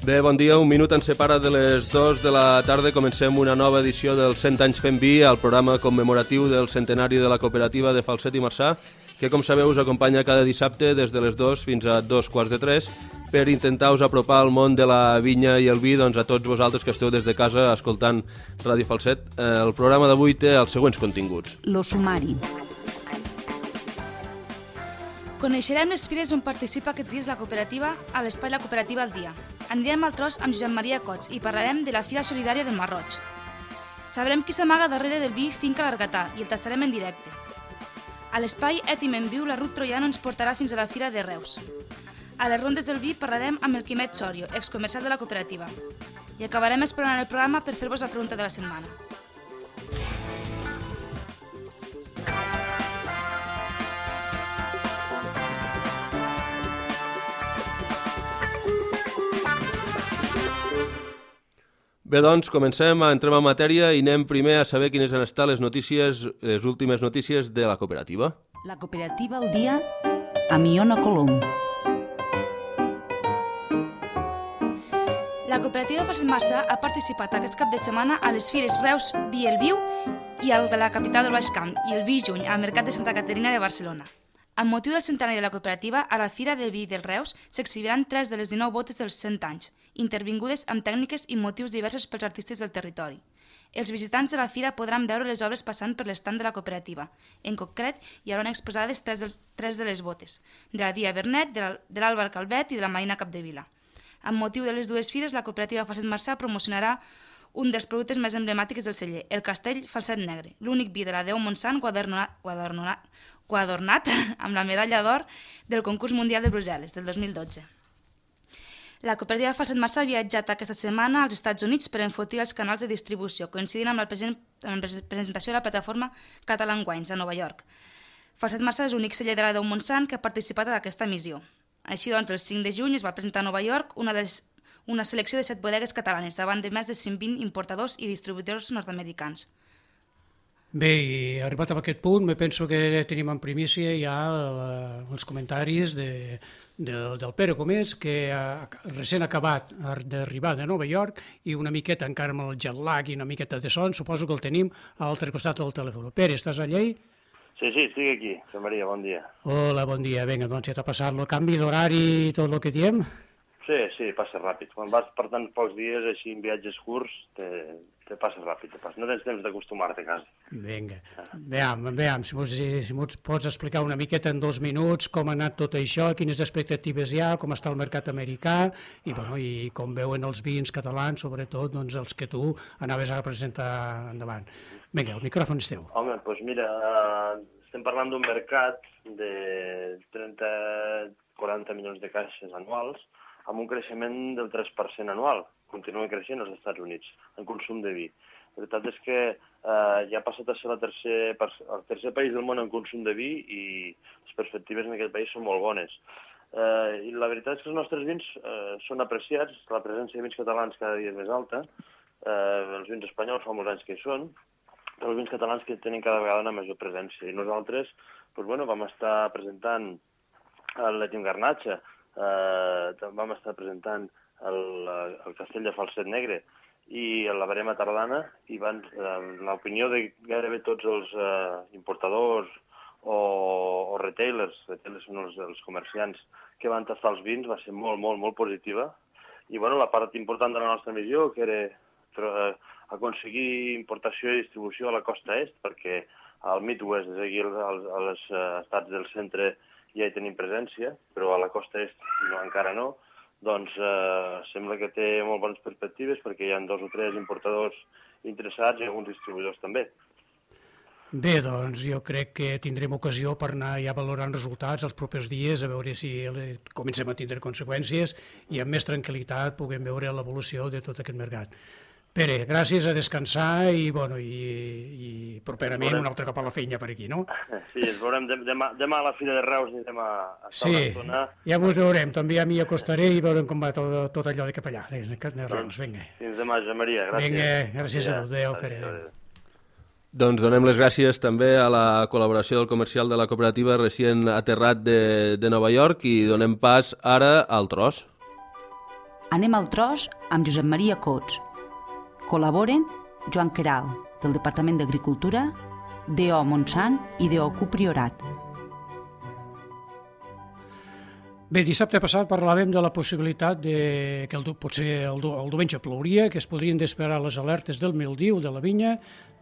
Bé, bon dia. Un minut ens separa de les 2 de la tarda. Comencem una nova edició del 100 anys fent vi, el programa commemoratiu del centenari de la cooperativa de Falset i Marçà, que, com sabeu, us acompanya cada dissabte des de les 2 fins a 2:45 per intentar-vos apropar al món de la vinya i el vi, doncs, a tots vosaltres que esteu des de casa escoltant Ràdio Falset. El programa d'avui té els següents continguts. Lo sumari. Coneixerem les fires on participa aquests dies la cooperativa a l'espai La Cooperativa al Dia. Anirem al tros amb Josep Maria Cots i parlarem de la Fira Solidària del Marroig. Sabrem qui s'amaga darrere del vi Finca l'Argatà i el tastarem en directe. A l'espai Ètim en Viu, la Ruth Troiano ens portarà fins a la Fira de Reus. A les rondes del vi parlarem amb el Quimet Sorio, excomercial de la cooperativa. I acabarem explorant el programa per fer-vos la pregunta de la setmana. Bé, doncs, entrem en matèria i anem primer a saber quines han estat les últimes notícies de la cooperativa. La Cooperativa al Dia amb Iona Colom. La cooperativa de Falset Marçà ha participat aquest cap de setmana a les fires Reus Vi el Viu i al de la capital del Baix Camp i el Vi Juny al Mercat de Santa Caterina de Barcelona. Amb motiu del centenari de la cooperativa, a la Fira del Vi del Reus s'exhibiran 3 de les 19 botes dels 100 anys, intervingudes amb tècniques i motius diversos pels artistes del territori. Els visitants de la fira podran veure les obres passant per l'estand de la cooperativa. En concret, hi haurà exposades 3 de les botes, de la Dia Bernet, de l'Àlvar Calvet i de la Marina Capdevila. Amb motiu de les dues fires, la cooperativa Falset Marçà promocionarà un dels productes més emblemàtics del celler, el Castell Falset Negre, l'únic vi de la Déu Montsant guadornat amb la medalla d'or del concurs mundial de Brussel·les del 2012. La cooperativa Falset Marçà ha viatjat aquesta setmana als Estats Units per enfortir els canals de distribució, coincidint amb la presentació de la plataforma Catalan Wines a Nova York. Falset Marçà és l'únic celler de la Déu Montsant que ha participat en aquesta missió. Així doncs, el 5 de juny es va presentar a Nova York una selecció de 7 bodegues catalanes davant de més de 120 importadors i distribuïdors nord-americans. Bé, i arribat a aquest punt, me penso que tenim en primícia ja els comentaris del Pere Comés, que ha recent acabat d'arribar de Nova York i una miqueta encara amb el jet lag i una miqueta de son, suposo que el tenim a l'altre costat del telèfon. Pere, estàs allà? Sí, estic aquí. Josep Maria, bon dia. Hola, bon dia. Vinga, doncs ja t'ha passat el canvi d'horari i tot el que diem? Sí, passa ràpid. Quan vas per tant pocs dies així en viatges curts, te passa ràpid. No tens temps d'acostumar-te quasi. Vinga. Veam, si m'ho pots explicar una miqueta en 2 minuts com ha anat tot això, quines expectatives hi ha, com està el mercat americà i com veuen els vins catalans, sobretot doncs, els que tu anaves a presentar endavant. Vinga, el micròfon és teu. Home, doncs mira, estem parlant d'un mercat de 30-40 milions de caixes anuals, amb un creixement del 3% anual. Continuen creixent als Estats Units en consum de vi. La veritat és que ja ha passat a ser el tercer país del món en consum de vi i les perspectives en aquest país són molt bones. I la veritat és que els nostres vins són apreciats, la presència de vins catalans cada dia és més alta, els vins espanyols fa molts anys que hi són, però els vins catalans que tenen cada vegada una major presència. I nosaltres vam estar presentant l'Ètim Garnatxa, vam estar presentant el Castell de Falset Negre i la Verema Tardana i l'opinió de gairebé tots els importadors o retailers són els comerciants que van tastar els vins, va ser molt, molt, molt positiva. I la part important de la nostra missió, que era aconseguir importació i distribució a la costa est, perquè al Midwest, és aquí als estats del centre, ja hi tenim presència, però a la costa est encara no, doncs sembla que té molt bones perspectives perquè hi ha 2 o 3 importadors interessats i alguns distribuïdors també. Bé, doncs jo crec que tindrem ocasió per anar ja valorant resultats els propers dies, a veure si comencem a tindre conseqüències i amb més tranquil·litat puguem veure l'evolució de tot aquest mercat. Pere, gràcies, a descansar i properament un altre cop a la feina per aquí, no? Sí, ens veurem demà a la Fira de Reus i demà a estar una estona. Sí, ja us veurem, també a mi acostaré i veurem com va tot allò de cap allà, de Reus, vinga. Fins demà, Josep Maria, gràcies. Vinga, gràcies a tu, adéu, Pere. Doncs donem les gràcies també a la col·laboració del comercial de la cooperativa recient aterrat de Nova York i donem pas ara al tros. Anem al tros amb Josep Maria Cots. Col·laboren Joan Queralt, del Departament d'Agricultura, D.O. Montsant i D.O. Q Priorat. Bé, dissabte passat parlàvem de la possibilitat que potser el diumenge plouria, que es podrien desesperar les alertes del mildiu de la vinya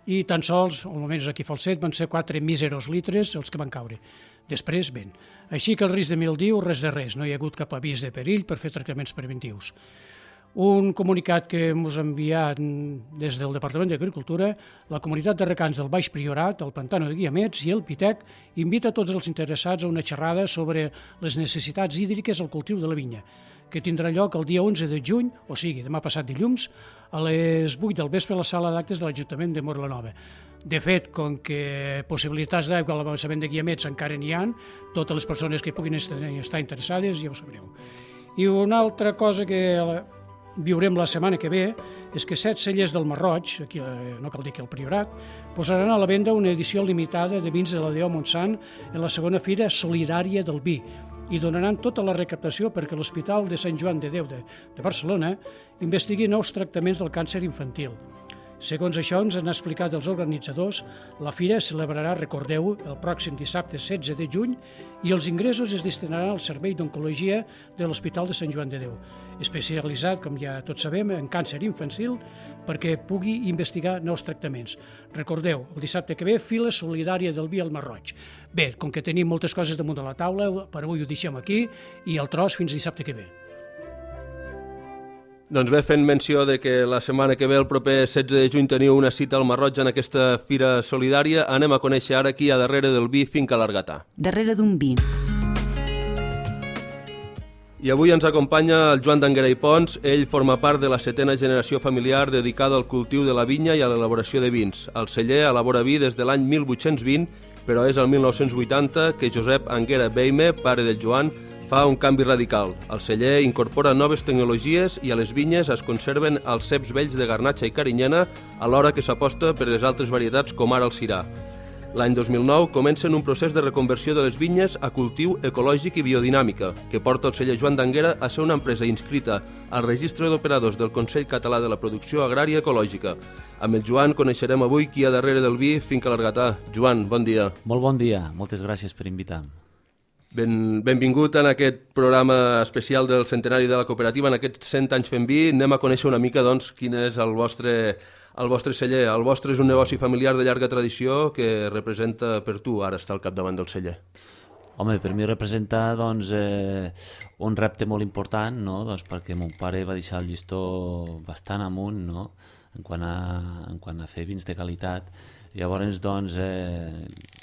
i tan sols, almenys aquí a Falset, van ser 4 míseros litres els que van caure. Després, vent. Així que el risc de mildiu, res de res, no hi ha hagut cap avís de perill per fer tractaments preventius. Un comunicat que ens ha enviat des del Departament d'Agricultura, la comunitat de regants del Baix Priorat, el Pantano de Guiamets i el Pitec invita tots els interessats a una xerrada sobre les necessitats hídriques al cultiu de la vinya, que tindrà lloc el dia 11 de juny, o sigui, demà passat dilluns, a les 8 del vespre a la sala d'actes de l'Ajuntament de Móra-la-Nova. De fet, com que possibilitats d'aigua a l'avançament de Guiamets encara n'hi ha, totes les persones que puguin estar interessades ja ho sabreu. I una altra cosa que viurem la setmana que ve és que 7 cellers del Marroig, aquí no cal dir que el Priorat, posaran a la venda una edició limitada de vins de la D.O. Montsant en la segona fira solidària del vi i donaran tota la recaptació perquè l'Hospital de Sant Joan de Déu de Barcelona investigui nous tractaments del càncer infantil. Segons això ens han explicat els organitzadors, la fira es celebrarà, recordeu, el pròxim dissabte 16 de juny i els ingressos es destinaran al Servei d'Oncologia de l'Hospital de Sant Joan de Déu, especialitzat, com ja tots sabem, en càncer infantil perquè pugui investigar nous tractaments. Recordeu, el dissabte que ve, fila solidària del vi al Marroig. Bé, com que tenim moltes coses damunt de la taula, per avui ho deixem aquí i el tros fins dissabte que ve. Doncs bé, fent menció de que la setmana que ve, el proper 16 de juny, teniu una cita al Marroig en aquesta fira solidària, anem a conèixer ara qui hi ha darrere del vi Finca l'Argatà. Darrere d'un vi. I avui ens acompanya el Joan d'Anguera i Pons. Ell forma part de la 7a generació familiar dedicada al cultiu de la vinya i a l'elaboració de vins. El celler elabora vi des de l'any 1820, però és el 1980 que Josep Anguera Beime, pare del Joan, fa un canvi radical. El celler incorpora noves tecnologies i a les vinyes es conserven els ceps vells de Garnatxa i Carinyena, alhora que s'aposta per les altres varietats com ara el Syrah. L'any 2009 comencen un procés de reconversió de les vinyes a cultiu ecològic i biodinàmica, que porta el celler Joan d'Anguera a ser una empresa inscrita al registre d'operadors del Consell Català de la Producció Agrària Ecològica. Amb el Joan coneixerem avui qui hi ha darrere del vi Finca l'Argatà. Joan, bon dia. Molt bon dia, moltes gràcies per invitar-me. Benvingut en aquest programa especial del centenari de la cooperativa, en aquests 100 anys fent vi. Anem a conèixer una mica doncs, quin és el vostre celler. El vostre és un negoci familiar de llarga tradició que representa per tu ara estar al capdavant del celler. Home, per mi representa doncs, un repte molt important, no? Doncs perquè mon pare va deixar el llistó bastant amunt, no? en quant a fer vins de qualitat. Llavors, doncs,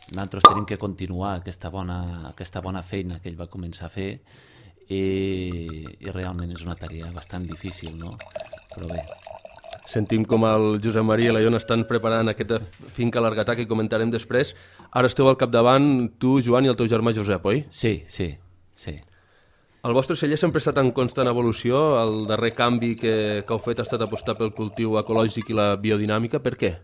nosaltres tenim que continuar aquesta bona feina que ell va començar a fer i realment és una tarea bastant difícil, no? Però bé. Sentim com el Josep Maria i la Iona estan preparant aquesta Finca l'Argatà que comentarem després. Ara esteu al capdavant, tu, Joan, i el teu germà Josep, oi? Sí. El vostre celler sempre ha estat en constant evolució. El darrer canvi que heu fet ha estat apostar pel cultiu ecològic i la biodinàmica. Per què?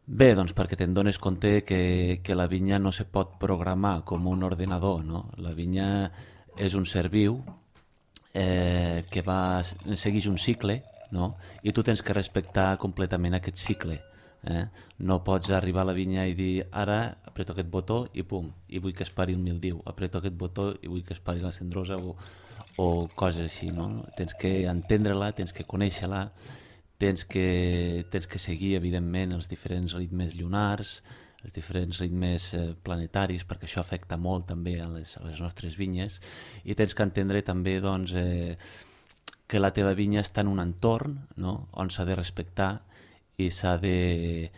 Bé, doncs perquè te'n dones compte que la vinya no se pot programar com un ordenador, no? La vinya és un ser viu que segueix un cicle, no? I tu tens que respectar completament aquest cicle. No pots arribar a la vinya i dir ara apreto aquest botó i pum, i vull que es pari el mildiu, apreto aquest botó i vull que es pari la cendrosa o coses així, no? Tens que entendre-la, tens que conèixer-la, tens que seguir, evidentment, els diferents ritmes lunars, els diferents ritmes planetaris, perquè això afecta molt també a les nostres vinyes, i tens que entendre també doncs, que la teva vinya està en un entorn, no? On s'ha de respectar i s'ha de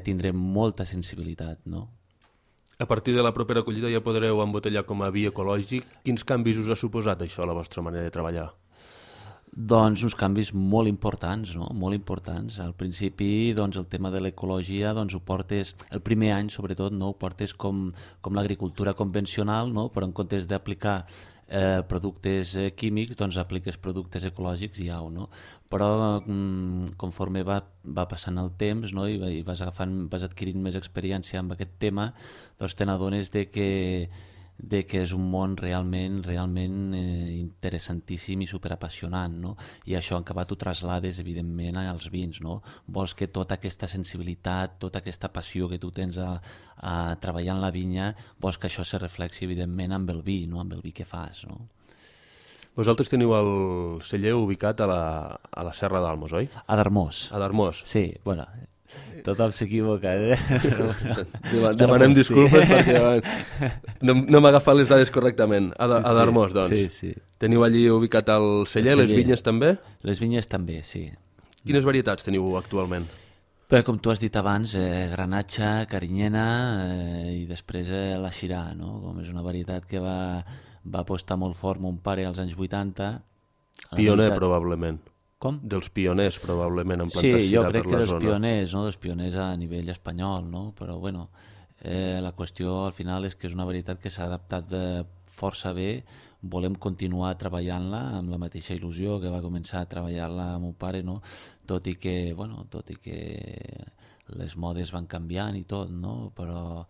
tindre molta sensibilitat, no? A partir de la propera collita ja podreu embotellar com a vi ecològic. Quins canvis us ha suposat això a la vostra manera de treballar? Doncs uns canvis molt importants, no? Molt importants. Al principi, doncs, el tema de l'ecologia, doncs, ho portes, el primer any sobretot, no? Ho portes com l'agricultura convencional, no? Però en comptes d'aplicar productes químics, doncs apliques productes ecològics i au, no? Però conforme va passant el temps, no? I vas adquirint més experiència amb aquest tema, doncs te n'adones de que que és un món realment interessantíssim i superapassionant, no? I això en acabat ho traslades, evidentment, als vins, no? Vols que tota aquesta sensibilitat, tota aquesta passió que tu tens a treballar en la vinya, vols que això se reflexi, evidentment, amb el vi, no? Amb el vi que fas, no? Vosaltres teniu el celler ubicat a la Serra d'Almos, oi? A Darmós. A Darmós. Sí, bueno, tothom s'equivoca, Demanem disculpes perquè no m'ha agafat les dades correctament. A Darmós, doncs. Sí. Teniu allí ubicat el celler, les vinyes també? Les vinyes també, sí. Quines varietats teniu actualment? Però, com tu has dit abans, granatxa, carinyena i després la xirà, no? Com és una varietat que va apostar molt fort mon pare als anys 80. Pioner, probablement. Com? Dels pioners, probablement, en plantar xirà per la zona. Sí, jo crec que dels pioners, no? Dels pioners a nivell espanyol, no? Però, bueno, la qüestió al final és que és una varietat que s'ha adaptat força bé. Volem continuar treballant-la amb la mateixa il·lusió que va començar a treballar-la mon pare, no? Tot i que les modes van canviant i tot, no? Però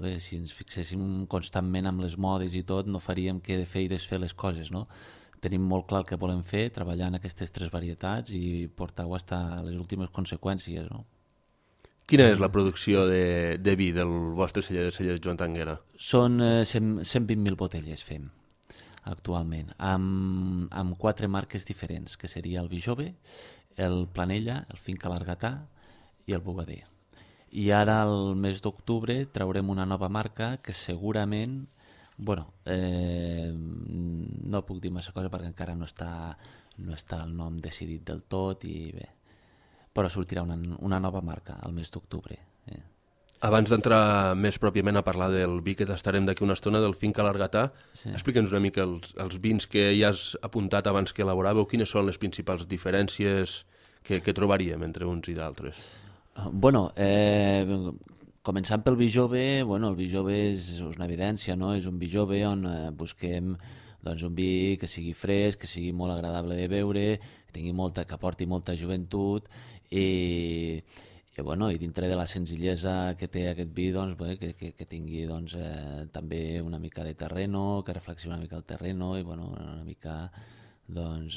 bé, si ens fixéssim constantment amb les modes i tot, no faríem que fer i desfer les coses, no? Tenim molt clar el que volem fer, treballar en aquestes 3 varietats i portar-ho fins a les últimes conseqüències, no? Quina és la producció de vi del vostre celler de cellers Joan Tanguera? Són 120.000 botelles fem actualment, amb 4 marques diferents, que seria el Vi Jove, el Planella, el Finca Largatà i el Bugader. I ara, al mes d'octubre, traurem una nova marca que segurament, no puc dir massa cosa perquè encara no està el nom decidit del tot, i bé, però sortirà una nova marca al mes d'octubre. Abans d'entrar més pròpiament a parlar del vi que tastarem d'aquí una estona, del Finca Largatà, explica'ns una mica els vins que ja has apuntat abans que elaboràveu, quines són les principals diferències que trobaríem entre uns i d'altres? Començant pel vi jove, el vi jove és una evidència, no? És un vi jove on busquem un vi que sigui fresc, que sigui molt agradable de beure, que aporti molta joventut i dintre de la senzillesa que té aquest vi, que tingui també una mica de terreno, que reflexioni una mica el terreno i una mica, un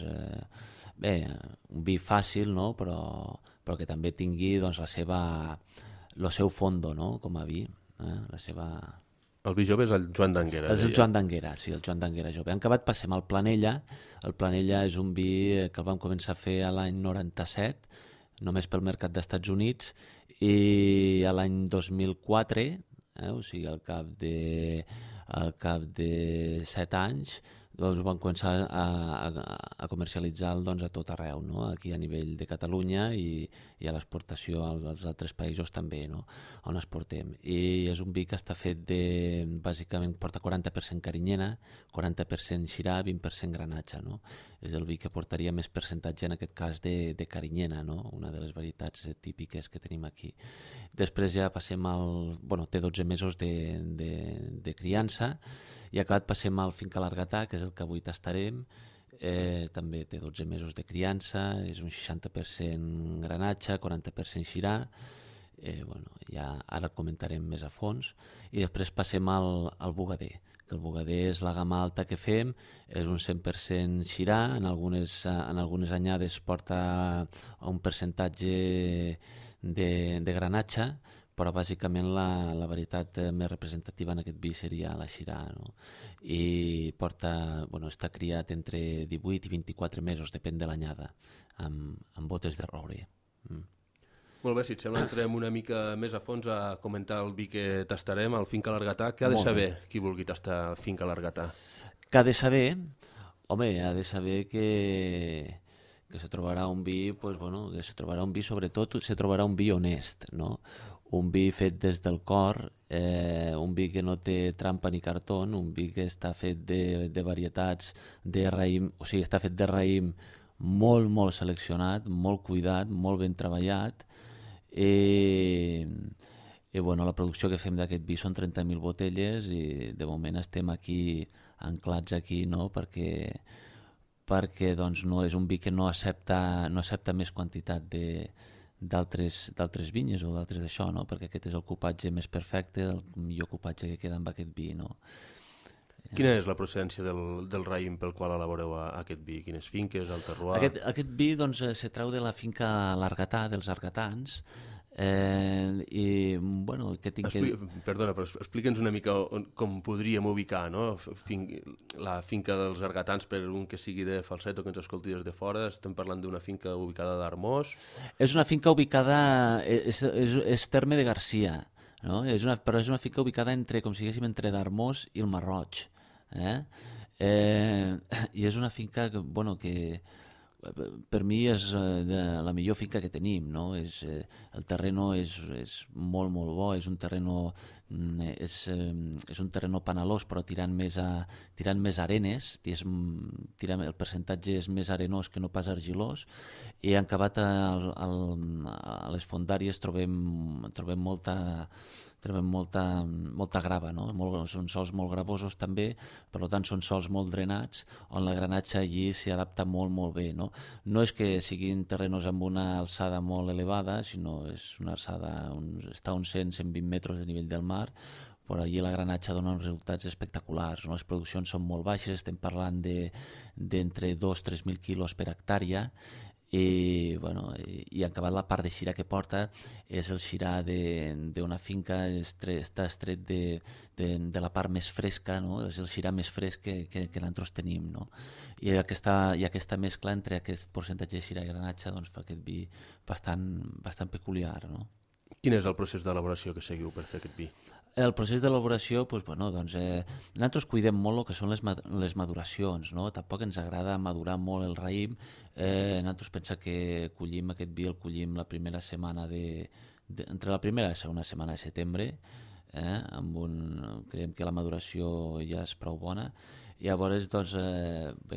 vi fàcil, no? Però que també tingui el seu fondo, no? Com a vi. El vi jove és el Joan d'Anguera. És el Joan d'Anguera, sí, el Joan d'Anguera jove. En acabat passem al Planella. El Planella és un vi que el vam començar a fer l'any 97, només pel mercat d'Estats Units, i l'any 2004, o sigui, al cap de 7 anys, vam començar a comercialitzar-lo a tot arreu, no? Aquí a nivell de Catalunya i a l'exportació als altres països també, no? On exportem. I és un vi que està fet bàsicament porta 40% carinyena, 40% xirà, 20% granatxa, no? És el vi que portaria més percentatge en aquest cas de carinyena, no? Una de les varietats típiques que tenim aquí. Després ja passem té 12 mesos de criança, i acabat passem al Finca Largatà, que és el que avui tastarem. També té 12 mesos de criança, és un 60% granatxa, 40% xirà. Ja ara el comentarem més a fons. I després passem al Bugader, que el Bugader és la gamma alta que fem, és un 100% xirà, en algunes anyades porta un percentatge de granatxa, però bàsicament la varietat més representativa en aquest vi seria la xirà, no? I està criat entre 18 i 24 mesos, depèn de l'anyada, amb botes de roure. Molt bé, si et sembla, entrem una mica més a fons a comentar el vi que tastarem, el Finca Largatà. Què ha de saber qui vulgui tastar el Finca Largatà? Què ha de saber? Home, ha de saber que se trobarà un vi, sobretot se trobarà un vi honest, no? Un vi fet des del cor, un vi que no té trampa ni cartó, un vi que està fet de varietats de raïm, o sigui, està fet de raïm molt, molt seleccionat, molt cuidat, molt ben treballat, i la producció que fem d'aquest vi són 30.000 botelles i de moment estem aquí, anclats aquí, no? Perquè no és un vi que no accepta més quantitat d'altres vinyes o d'altres d'això, no? Perquè aquest és el cupatge més perfecte, el millor cupatge que queda amb aquest vi, no? Quina és la procedència del raïm pel qual elaboreu aquest vi? Quines finques, el terroir? Aquest vi doncs, se treu de la finca L'Argatà, dels argatans, i bueno, que tinc Perdona, però explica'ns una mica com podríem ubicar, no? La finca dels argatans, per un que sigui de Falset o que ens escolti des de fora. Estem parlant d'una finca ubicada d'Armós. És una finca ubicada, és terme de Garcia, no? Però és una finca ubicada entre, com si diguéssim, entre d'Armós i el Marroig. I és una finca que, bueno, que per mi és la millor finca que tenim, no? El terreno és molt, molt bo, és un terreno panalós, però tirant més arenes, el percentatge és més arenós que no pas argilós, i en acabat a les fondàries trobem molta grava, no? Són sols molt gravosos també, per tant són sols molt drenats, on la granatge allí s'hi adapta molt, molt bé, no? No és que siguin terrenos amb una alçada molt elevada, sinó és una alçada, està a uns 100-120 metres de nivell del mar, però allí la granatge dona uns resultats espectaculars, no? Les produccions són molt baixes, estem parlant d'entre 2-3.000 quilos per hectàrea, i en acabat la part de xirà que porta és el xirà d'una finca, està estret de la part més fresca, no? És el xirà més fresc que nosaltres tenim, no? I aquesta mescla entre aquest percentatge de xirà i granatge doncs, fa aquest vi bastant peculiar, no? Quin és el procés d'elaboració que seguiu per fer aquest vi? El procés d'elaboració, nosaltres cuidem molt el que són les maduracions, no? Tampoc ens agrada madurar molt el raïm. Nosaltres pensem que aquest vi el collim la primera setmana entre la primera i la segona setmana de setembre, creiem que la maduració ja és prou bona. I llavors,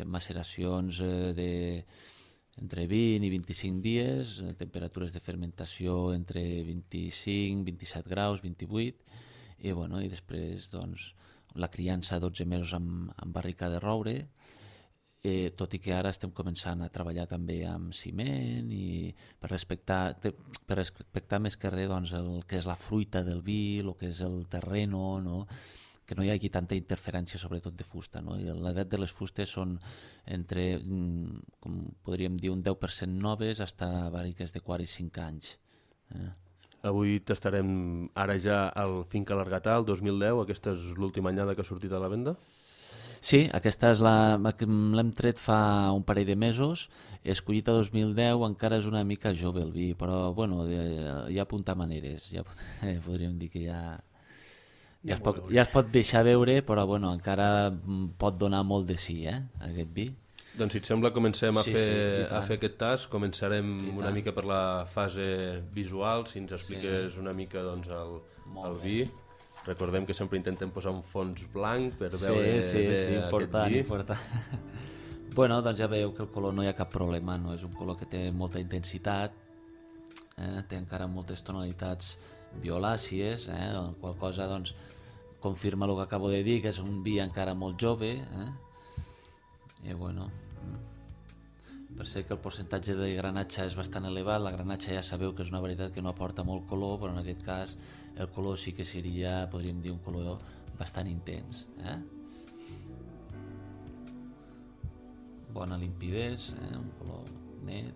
maceracions entre 20 i 25 dies, temperatures de fermentació entre 25, 27 graus, 28, i després la criança a 12 mesos amb barrica de roure, tot i que ara estem començant a treballar també amb ciment i per respectar més que res el que és la fruita del vi, el que és el terreno, no? Que no hi hagi tanta interferència, sobretot de fusta, no? L'edat de les fustes són entre, com podríem dir, un 10% noves fins a barriques de 4 i 5 anys. Avui tastarem ara ja el Finca L'Argatà, el 2010. Aquesta és l'última anyada que ha sortit a la venda? Sí, aquesta és l'hem tret fa un parell de mesos, escollit a 2010, encara és una mica jove el vi, però ja apunta maneres, podríem dir que ja es pot deixar veure, però encara pot donar molt de sí, aquest vi. Doncs si et sembla comencem a fer aquest tast, començarem una mica per la fase visual, si ens expliques una mica el vi. Recordem que sempre intentem posar un fons blanc per veure important, important. Doncs ja veieu que el color no hi ha cap problema, no? És un color que té molta intensitat, té encara moltes tonalitats violàcies, la qual cosa confirma el que acabo de dir, que és un vi encara molt jove, i per ser que el percentatge de granatge és bastant elevat, la granatge ja sabeu que és una varietat que no aporta molt color, però en aquest cas el color sí que seria, podríem dir, un color bastant intens. Bona limpidesa, un color net.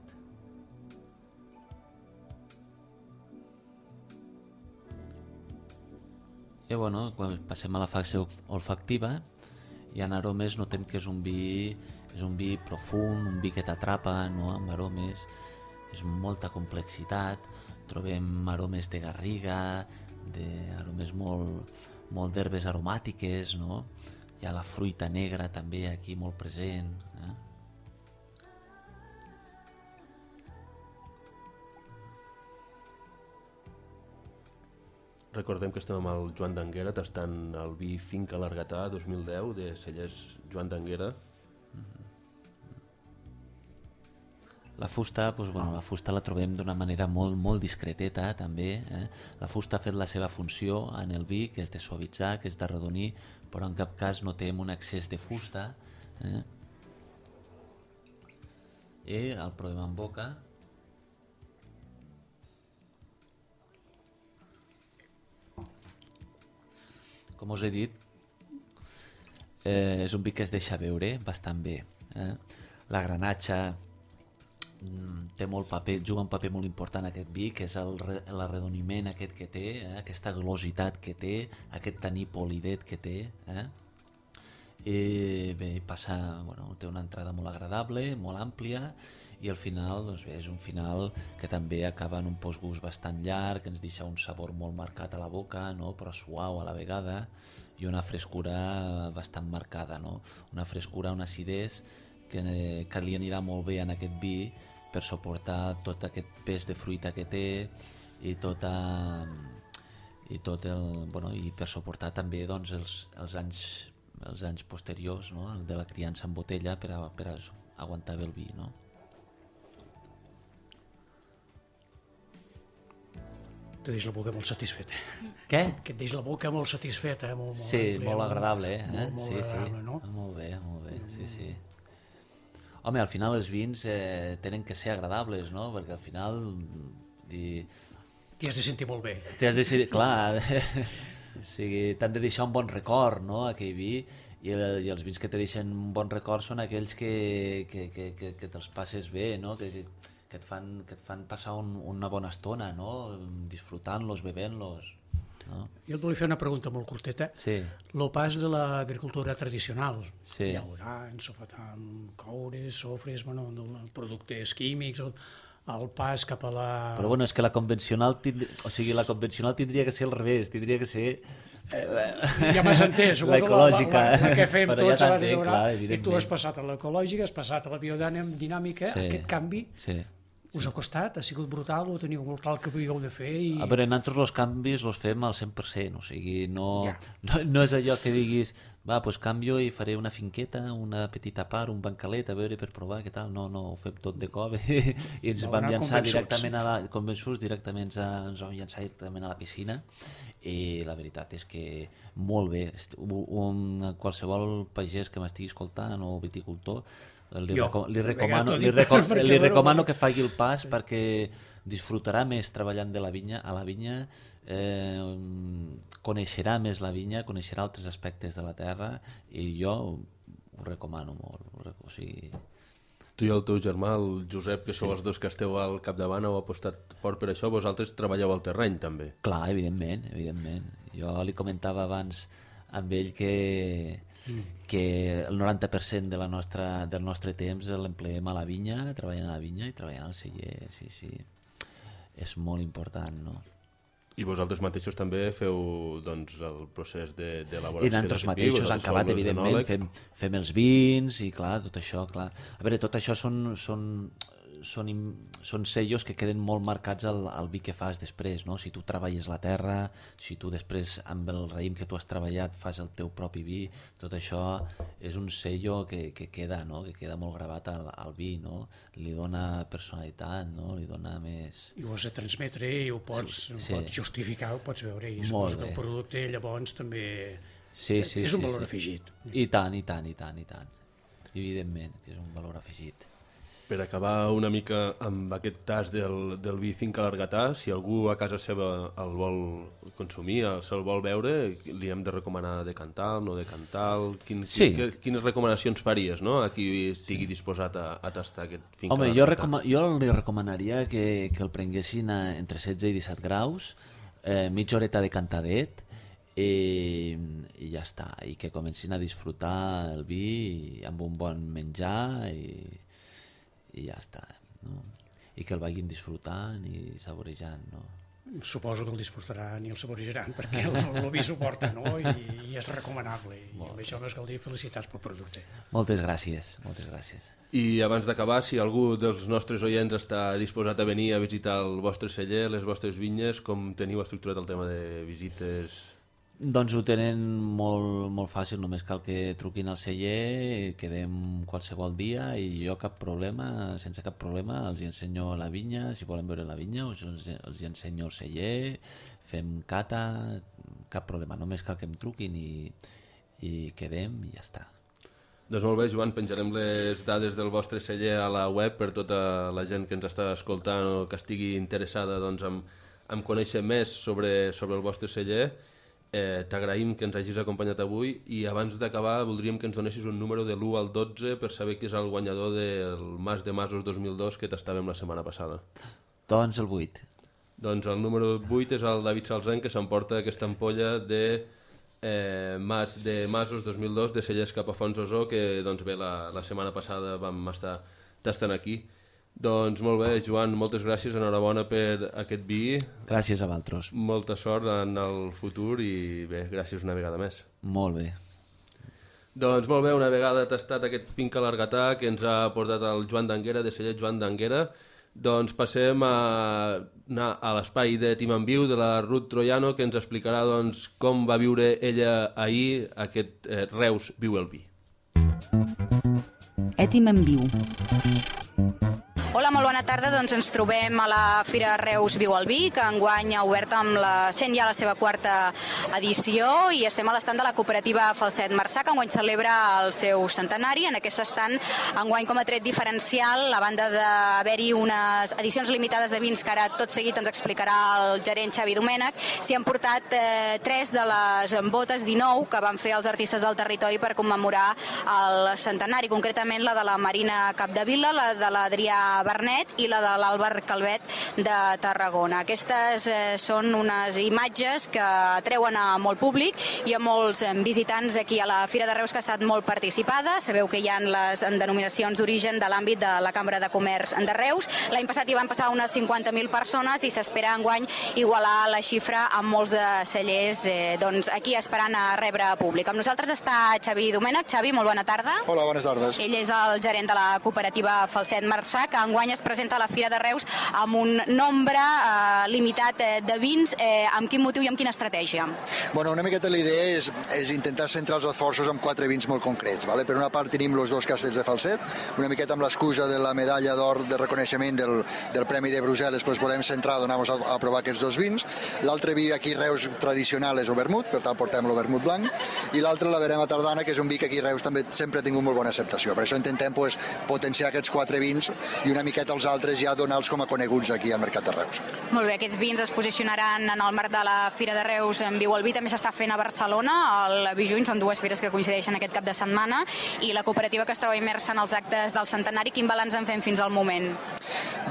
I quan passem a la fase olfactiva, i en aromes notem que és un vi profund, un vi que t'atrapa, no? Amb aromes, és molta complexitat, trobem aromes de garriga, aromes molt d'herbes aromàtiques, no? Hi ha la fruita negra també aquí molt present. Recordem que estem amb el Joan d'Anguera tastant el vi Finca L'Argatà 2010 de cellers Joan d'Anguera. La fusta, la fusta la trobem d'una manera molt, molt discreteta també. La fusta ha fet la seva funció en el vi, que és de suavitzar, que és d'arrodonir, però en cap cas notem un excés de fusta. I el provem en boca. com us he dit, és un vi que es deixa veure bastant bé. La granatxa té molt paper, juga un paper molt important aquest vi, que és l'arredoniment aquest que té, aquesta glositat que té, aquest taní polidet que té. I bé, té una entrada molt agradable, molt àmplia, i al final doncs bé, és un final que també acaba en un postgust bastant llarg, que ens deixa un sabor molt marcat a la boca, no? Però suau a la vegada, i una frescura bastant marcada, no? Una frescura, una acidesa que li anirà molt bé en aquest vi per suportar tot aquest pes de fruita que té i per suportar també doncs, els anys posteriors, no? De la criança en botella per aguantar bé el vi, no? Te deix la boca molt satisfeta. Què? Que et deix la boca molt satisfeta. Sí, molt agradable, Molt sí, agradable, no? Molt bé, sí. Home, al final els vins tenen que ser agradables, no? Perquè al final... T'hi has de sentir molt bé. Clar, o sigui, t'han de deixar un bon record, no?, aquell vi, i els vins que te deixen un bon record són aquells que te'ls passes bé, no?, que et fan passar una bona estona, no?, disfrutant-los, bevent-los. No? Jo et volia fer una pregunta molt curteta. Sí. El pas de l'agricultura tradicional, sí. llaurant, sofatam, coures, sofres, productes químics, el pas cap a la... Però bueno, és que la convencional tindria que ser al revés, tindria que ser... Ja m'has entès, l'ecològica. La que fem tots a base de llaurar, i tu has passat a l'ecològica, has passat a la biodinàmica, aquest canvi... Us ha costat? Ha sigut brutal o teniu molt clar el que havíeu de fer? A veure, nosaltres els canvis els fem al 100%, o sigui, no és allò que diguis, va, doncs canvio i faré una finqueta, una petita part, un bancalet, a veure per provar què tal. No, ho fem tot de cop i ens vam llançar directament convençuts, ens vam llançar directament a la piscina, i la veritat és que molt bé. Qualsevol pagès que m'estigui escoltant o viticultor, li recomano que faci el pas perquè disfrutarà més treballant a la vinya, coneixerà més la vinya, coneixerà altres aspectes de la terra, i jo ho recomano molt. O sigui... Tu i el teu germà, el Josep, que sou els dos que esteu al capdavant, heu apostat fort per això, vosaltres treballeu al terreny també. Clar, evidentment. Jo li comentava abans amb ell que el 90% del nostre temps l'empleem a la vinya, treballant a la vinya i treballant al celler, sí. És molt important, no? I vosaltres mateixos també feu doncs, el procés d'elaboració? I nosaltres mateixos, en acabat, evidentment, fem els vins i clar, tot això, clar. A veure, tot això són sellos que queden molt marcats al vi que fas després, no? Si tu treballes la terra, si tu després amb el raïm que tu has treballat fas el teu propi vi, tot això és un sello que queda, no? Que queda molt gravat al vi, no? Li dona personalitat, no? Li dona més... I ho has de transmetre i ho pots justificar, ho pots veure, i suposo que el producte llavors també és un valor afegit. I tant. Evidentment que és un valor afegit. Per acabar una mica amb aquest tas del vi Finca Largatà, si algú a casa seva el vol consumir, se'l vol veure, li hem de recomanar decantar, no decantar... Quines recomanacions faries, no?, a qui estigui disposat a tastar aquest Finca Largatà? Home, jo li recomanaria que el prenguessin entre 16 i 17 graus, mitja horeta de cantadet, i ja està, i que comencin a disfrutar el vi amb un bon menjar i ja està, no? I que el vagin disfrutant i saborejant, no? Suposo que el disfrutaran i el saborejaran perquè el vi suporta, no? I és recomanable, i amb això no és cal dir felicitats pel producte. Moltes gràcies. I abans d'acabar, si algú dels nostres oients està disposat a venir a visitar el vostre celler, les vostres vinyes, com teniu estructurat el tema de visites? Doncs ho tenen molt fàcil, només cal que truquin al celler, quedem qualsevol dia i jo sense cap problema els ensenyo la vinya, si volen veure la vinya els ensenyo el celler, fem cata, cap problema, només cal que em truquin i quedem i ja està. Doncs molt bé, Joan, penjarem les dades del vostre celler a la web per tota la gent que ens està escoltant o que estigui interessada doncs, en conèixer més sobre el vostre celler. t'agraïm que ens hagis acompanyat avui i abans d'acabar voldríem que ens donessis un número de l'1 al 12 per saber qui és el guanyador del Mas de Masos 2002 que tastàvem la setmana passada. Doncs el 8. Doncs el número 8 és el David Salzen, que s'emporta aquesta ampolla de Masos 2002 de Cellers cap a Fontsosó, que doncs bé, la setmana passada vam estar tastant aquí. Doncs molt bé, Joan, moltes gràcies, enhorabona per aquest vi. Gràcies a vosaltres. Molta sort en el futur i bé, gràcies una vegada més. Molt bé. Doncs molt bé, una vegada tastat aquest Finca Largatà que ens ha portat el Joan d'Anguera, de Celler Joan d'Anguera, doncs passem a anar a l'espai de Tim en Viu de la Ruth Troiano, que ens explicarà doncs, com va viure ella ahir aquest Reus Viu el Vi. Tim en Viu. Hola, molt bona tarda. Doncs ens trobem a la Fira Reus Viu el Vi, que enguany ha obert sent ja la seva quarta edició, i estem a l'estand de la cooperativa Falset Marçà, que enguany celebra el seu centenari. En aquest estand, enguany com a tret diferencial, a banda d'haver-hi unes edicions limitades de vins que ara tot seguit ens explicarà el gerent Xavi Domènech, s'hi han portat 3 de les botes 19 que van fer els artistes del territori per commemorar el centenari, concretament la de la Marina Capdevila, la de l'Adrià Bernet i la de l'Àlvar Calvet de Tarragona. Aquestes són unes imatges que atreuen a molt públic i a molts visitants aquí a la Fira de Reus, que ha estat molt participada. Sabeu que hi ha les denominacions d'origen de l'àmbit de la Cambra de Comerç de Reus. L'any passat hi van passar unes 50.000 persones i s'espera enguany igualar la xifra amb molts de cellers doncs aquí esperant a rebre públic. Amb nosaltres està Xavi Domènech. Xavi, molt bona tarda. Hola, bones tardes. Ell és el gerent de la cooperativa Falset Marçà, que enguany es presenta a la Fira de Reus amb un nombre limitat de vins. Amb quin motiu i amb quina estratègia? Bueno, una miqueta la idea és intentar centrar els esforços en 4 vins molt concrets. Vale? Per una part tenim els 2 castells de Falset, una miqueta amb l'excusa de la medalla d'or de reconeixement del Premi de Brussel·les, doncs volem centrar, donar-nos a provar aquests 2 vins. L'altre vi aquí a Reus tradicional és el vermut, per tant portem el vermut blanc, i l'altre la Verema Tardana, que és un vi que aquí a Reus també sempre ha tingut molt bona acceptació. Per això intentem potenciar aquests 4 vins i una miqueta els altres ja donar-los com a coneguts aquí al Mercat de Reus. Molt bé, aquests vins es posicionaran en el marc de la Fira de Reus en Viu el Vi, també s'està fent a Barcelona, al Vi Juny, són 2 fires que coincideixen aquest cap de setmana, i la cooperativa que es troba immersa en els actes del centenari, quin balanç en fem fins al moment?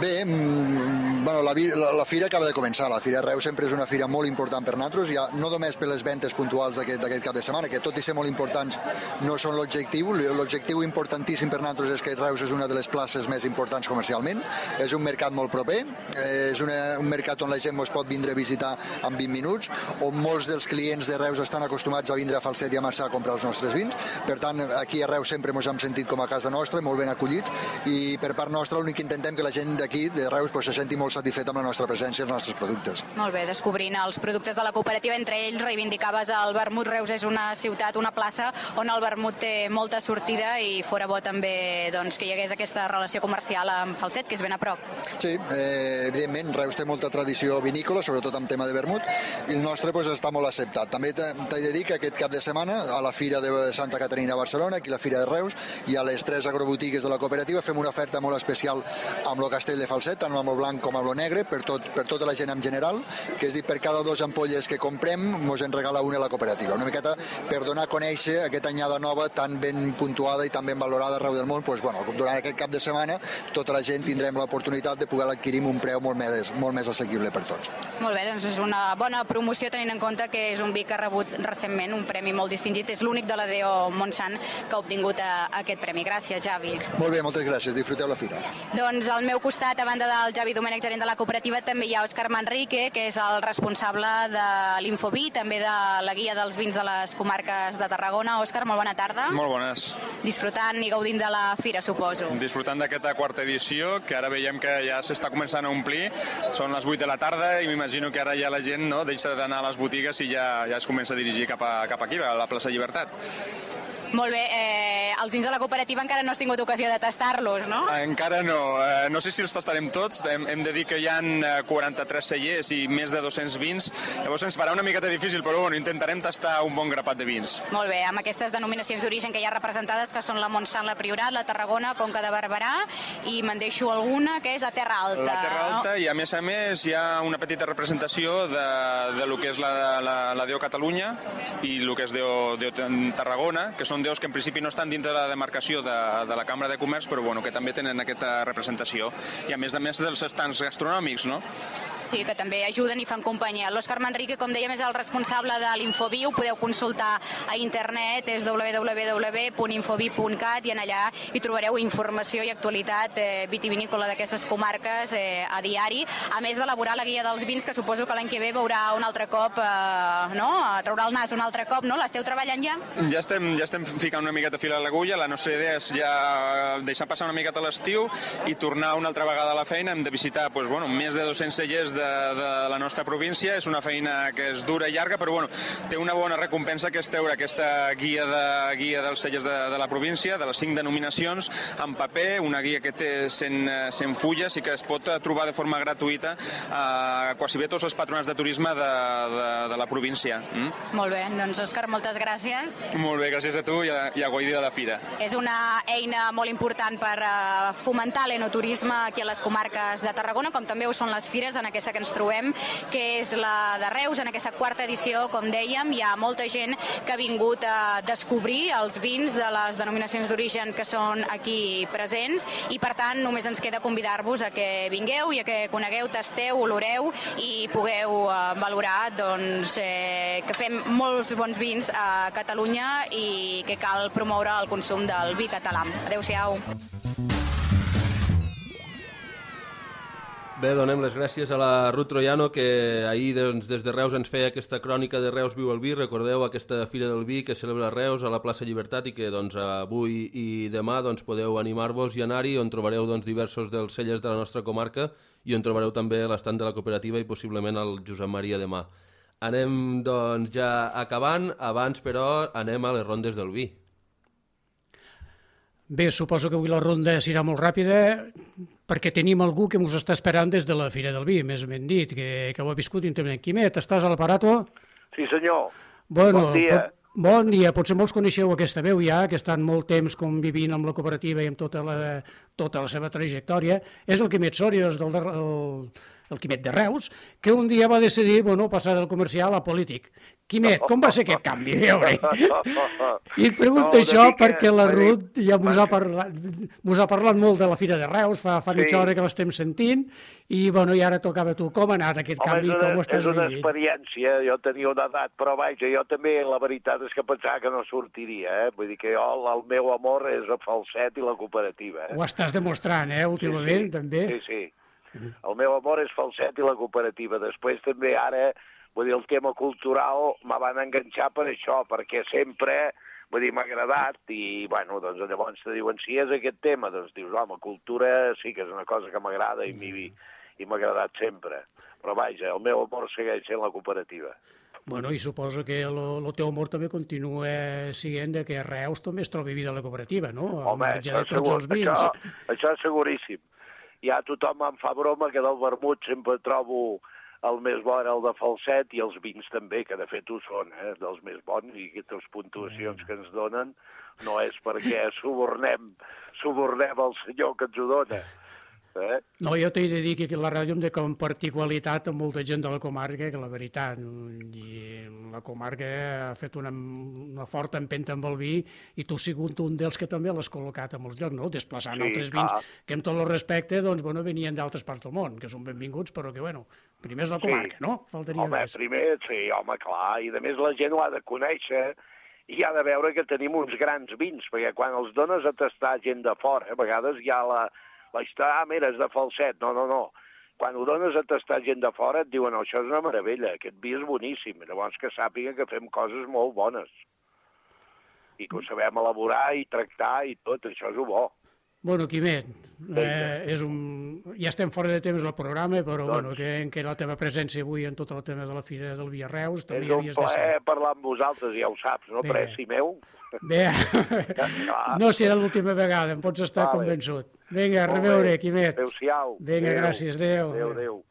Bé, bueno, la fira acaba de començar. La Fira de Reus sempre és una fira molt important per nosaltres, ja no només per les ventes puntuals d'aquest cap de setmana, que tot i ser molt importants no són l'objectiu. L'objectiu importantíssim per nosaltres és que Reus és una de les places més importants comercialment, és un mercat molt proper, és un mercat on la gent ens pot vindre a visitar en 20 minuts, on molts dels clients de Reus estan acostumats a vindre a Falset i a Marçà a comprar els nostres vins. Per tant, aquí a Reus sempre ens hem sentit com a casa nostra, molt ben acollits, i per part nostra l'únic que intentem que la gent d'aquí, de Reus, se senti molt satisfet amb la nostra presència i els nostres productes. Molt bé, descobrint els productes de la cooperativa, entre ells reivindicaves el vermut. Reus és una ciutat, una plaça on el vermut té molta sortida i fora bo també doncs, que hi hagués aquesta relació comercial amb Falset, que és ben a prop. Sí, evidentment, Reus té molta tradició vinícola, sobretot en tema de vermut, i el nostre està molt acceptat. També t'he de dir que aquest cap de setmana, a la Fira de Santa Caterina a Barcelona, aquí a la Fira de Reus, i a les 3 agrobotigues de la cooperativa fem una oferta molt especial amb el castell de Falset, tant amb el blanc com amb el negre, per tota la gent en general, que és dir, per cada 2 ampolles que comprem, ens en regala una a la cooperativa. Una miqueta per donar a conèixer aquesta anyada nova tan ben puntuada i tan ben valorada arreu del món. Durant aquest cap de setmana tota la gent tindrem l'oportunitat de poder adquirir amb un preu molt més assequible per tots. Molt bé, doncs és una bona promoció tenint en compte que és un vi que ha rebut recentment un premi molt distingit. És l'únic de la DO Montsant que ha obtingut aquest premi. Gràcies, Javi. Molt bé, moltes gràcies. Disfruteu la fira. Doncs al meu costat, a banda del Javi Domènech, gerent de la cooperativa, també hi ha Òscar Manrique, que és el responsable de l'Infoví, també de la guia dels vins de les comarques de Tarragona. Òscar, molt bona tarda. Molt bones. Disfrutant i gaudint de la fira, suposo. Disfrutant d'aquesta quarta edició, que ara veiem que ja s'està començant a omplir. Són les 8 de la tarda i m'imagino que ara ja la gent deixa d'anar a les botigues i ja es comença a dirigir cap aquí, a la plaça Llibertat. Molt bé, els vins de la cooperativa encara no has tingut ocasió de tastar-los, no? Encara no. No sé si els tastarem tots. Hem de dir que hi ha 43 cellers i més de 200 vins. Llavors ens farà una miqueta difícil, però bueno, intentarem tastar un bon grapat de vins. Molt bé, amb aquestes denominacions d'origen que hi ha representades, que són la Montsant, la Priorat, la Tarragona, Conca de Barberà, i me'n deixo alguna, que és la Terra Alta. La Terra Alta, i a més hi ha una petita representació de lo que és la Déu Catalunya i el que és Déu Tarragona, que són déus que en principi no estan dintre de la demarcació de la Cambra de Comerç, però bueno, que també tenen aquesta representació. I a més dels estants gastronòmics, no? Sí, que també ajuden i fan companyia. L'Òscar Manrique, com dèiem, és el responsable de l'Infoviu. Podeu consultar a internet, és www.infoviu.cat, i en allà hi trobareu informació i actualitat vitivinícola d'aquestes comarques a diari, a més d'elaborar la guia dels vins, que suposo que l'any que ve veurà un altre cop, traurà el nas un altre cop, no? L'esteu treballant ja? Ja estem ficant una miqueta fil a l'agulla. La nostra idea és ja deixar passar una miqueta l'estiu i tornar una altra vegada a la feina. Hem de visitar més de 200 cellers de la nostra província. És una feina que és dura i llarga, però té una bona recompensa, que és treure aquesta guia dels cellers de la província, de les 5 denominacions, en paper, una guia que té 100 fulles i que es pot trobar de forma gratuïta a quasi bé tots els patronats de turisme de la província. Molt bé, doncs Òscar, moltes gràcies. Molt bé, gràcies a tu i a Guaidí de la Fira. És una eina molt important per fomentar l'enoturisme aquí a les comarques de Tarragona, com també ho són les fires en aquesta que ens trobem, que és la de Reus, en aquesta 4ª edició, com dèiem. Hi ha molta gent que ha vingut a descobrir els vins de les denominacions d'origen que són aquí presents, i per tant només ens queda convidar-vos a que vingueu i a que conegueu, tasteu, oloreu i pugueu valorar que fem molts bons vins a Catalunya i que cal promoure el consum del vi català. Adéu-siau. Bé, donem les gràcies a la Ruth Troiano, que ahir des de Reus ens feia aquesta crònica de Reus Viu el Vi. Recordeu aquesta Fira del Vi que celebra Reus a la plaça Llibertat i que avui i demà podeu animar-vos i anar-hi, on trobareu diversos dels cellers de la nostra comarca i on trobareu també l'estand de la cooperativa i possiblement el Josep Maria demà. Anem ja acabant, abans però anem a les rondes del vi. Bé, suposo que avui la ronda serà molt ràpida perquè tenim algú que ens està esperant des de la Fira del Vi, més ben dit, que ho ha viscut íntimament. Quimet, estàs a l'aparato? Sí, senyor. Bueno, bon dia. Bon dia. Potser molts coneixeu aquesta veu ja, que estan molt temps convivint amb la cooperativa i amb tota la seva trajectòria. És el Quimet Sòries, el Quimet de Reus, que un dia va decidir passar del comercial a polític. Quimet, com va ser aquest canvi? I et pregunto això perquè la Ruth ja us ha parlat molt de la Fira de Reus, fa mitja hora que l'estem sentint, i ara tocava a tu. Com ha anat aquest canvi? És una experiència, jo tenia una edat, però vaja, jo també, la veritat és que pensava que no sortiria, vull dir que el meu amor és el falset i la cooperativa. Ho estàs demostrant, últimament, també. Sí. El meu amor és falset i la cooperativa. Després també ara, vull dir, el tema cultural me van enganxar per això, perquè sempre, vull dir, m'ha agradat i, doncs llavors te diuen, si és aquest tema, doncs dius, home, cultura sí que és una cosa que m'agrada i m'ha agradat sempre. Però vaja, el meu amor segueix sent la cooperativa. I suposo que el teu amor també continua sent que a Reus també es trobi vida a la cooperativa, no? Home, això és seguríssim. Ja tothom em fa broma que del vermut sempre trobo el més bo era el de falset i els vins també, que de fet ho són, dels més bons, i aquestes puntuacions que ens donen no és perquè subornem el senyor que ens ho dona. No, jo t'he de dir que aquí a la ràdio hem de compartir qualitat amb molta gent de la comarca, que la veritat, i la comarca ha fet una forta empenta amb el vi i tu has sigut un dels que també l'has col·locat a molts llocs, no? Desplaçant altres vins que amb tot el respecte venien d'altres parts del món, que són benvinguts, però que, primer és la comarca, no? Faltaria més. Primer, sí, home, clar, i a més la gent ho ha de conèixer i ha de veure que tenim uns grans vins, perquè quan els dones a tastar gent de fora, a vegades hi ha la història, mira, és de falset. No. Quan ho dones a tastar gent de fora et diuen, això és una meravella, aquest vi és boníssim. Llavors que sàpiga que fem coses molt bones. I que ho sabem elaborar i tractar i tot, això és bo. Bueno, Quimet, ja estem fora de temps del programa, però que la teva presència avui en tot el tema de la Fira del Vi a Reus també havies de ser. És un plaer parlar amb vosaltres, ja ho saps, no, preci meu? Bé, no serà l'última vegada, em pots estar convençut. Vinga, a reveure, Quimet. Adéu-siau. Vinga, gràcies, adéu. Adéu.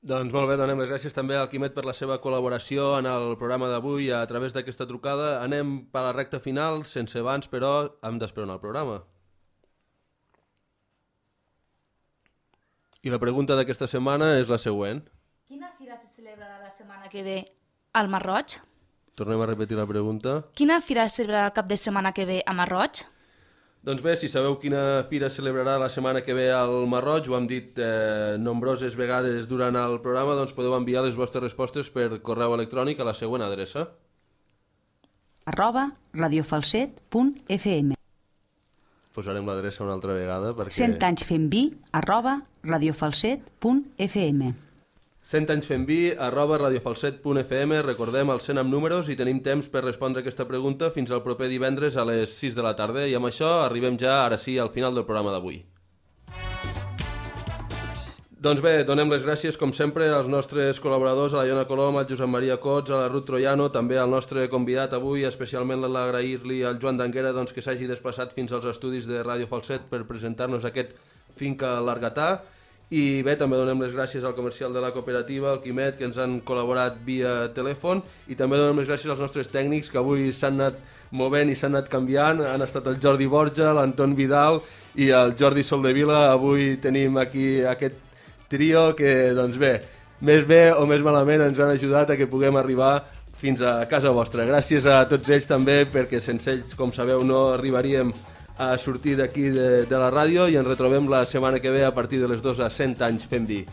Doncs molt bé, donem les gràcies també al Quimet per la seva col·laboració en el programa d'avui a través d'aquesta trucada. Anem per la recta final, sense abans, però hem d'esperar el programa. I la pregunta d'aquesta setmana és la següent. Quina fira se celebrarà la setmana que ve al Masroig? Tornem a repetir la pregunta. Quina fira se celebrarà el cap de setmana que ve a Masroig? Doncs bé, si sabeu quina fira celebrarà la setmana que ve al Masroig, ho hem dit nombroses vegades durant el programa, doncs podeu enviar les vostres respostes per correu electrònic a la següent adreça. @radiofalset.fm Posarem l'adreça una altra vegada perquè... 100 anys fent vi @radiofalset.fm 100 anys fent vi @radiofalset.fm. Recordem el 100 amb números i tenim temps per respondre aquesta pregunta fins al proper divendres a les 6 de la tarda. I amb això arribem ja, ara sí, al final del programa d'avui. Doncs bé, donem les gràcies, com sempre, als nostres col·laboradors, a la Iona Colom, al Josep Maria Cots, a la Ruth Troiano, també al nostre convidat avui, especialment l'agrair-li al Joan d'Anguera doncs, que s'hagi desplaçat fins als estudis de Ràdio Falset per presentar-nos aquest Finca Largatà. I bé, també donem les gràcies al comercial de la cooperativa, al Quimet, que ens han col·laborat via telèfon, i també donem les gràcies als nostres tècnics, que avui s'han anat movent i s'han anat canviant. Han estat el Jordi Borja, l'Anton Vidal i el Jordi Soldevila. Avui tenim aquí aquest trio que, doncs bé o més malament ens han ajudat a que puguem arribar fins a casa vostra. Gràcies a tots ells també, perquè sense ells, com sabeu, no arribaríem a sortir d'aquí de la ràdio, i ens retrobem la setmana que ve a partir de les 2 a 100 anys fent vi.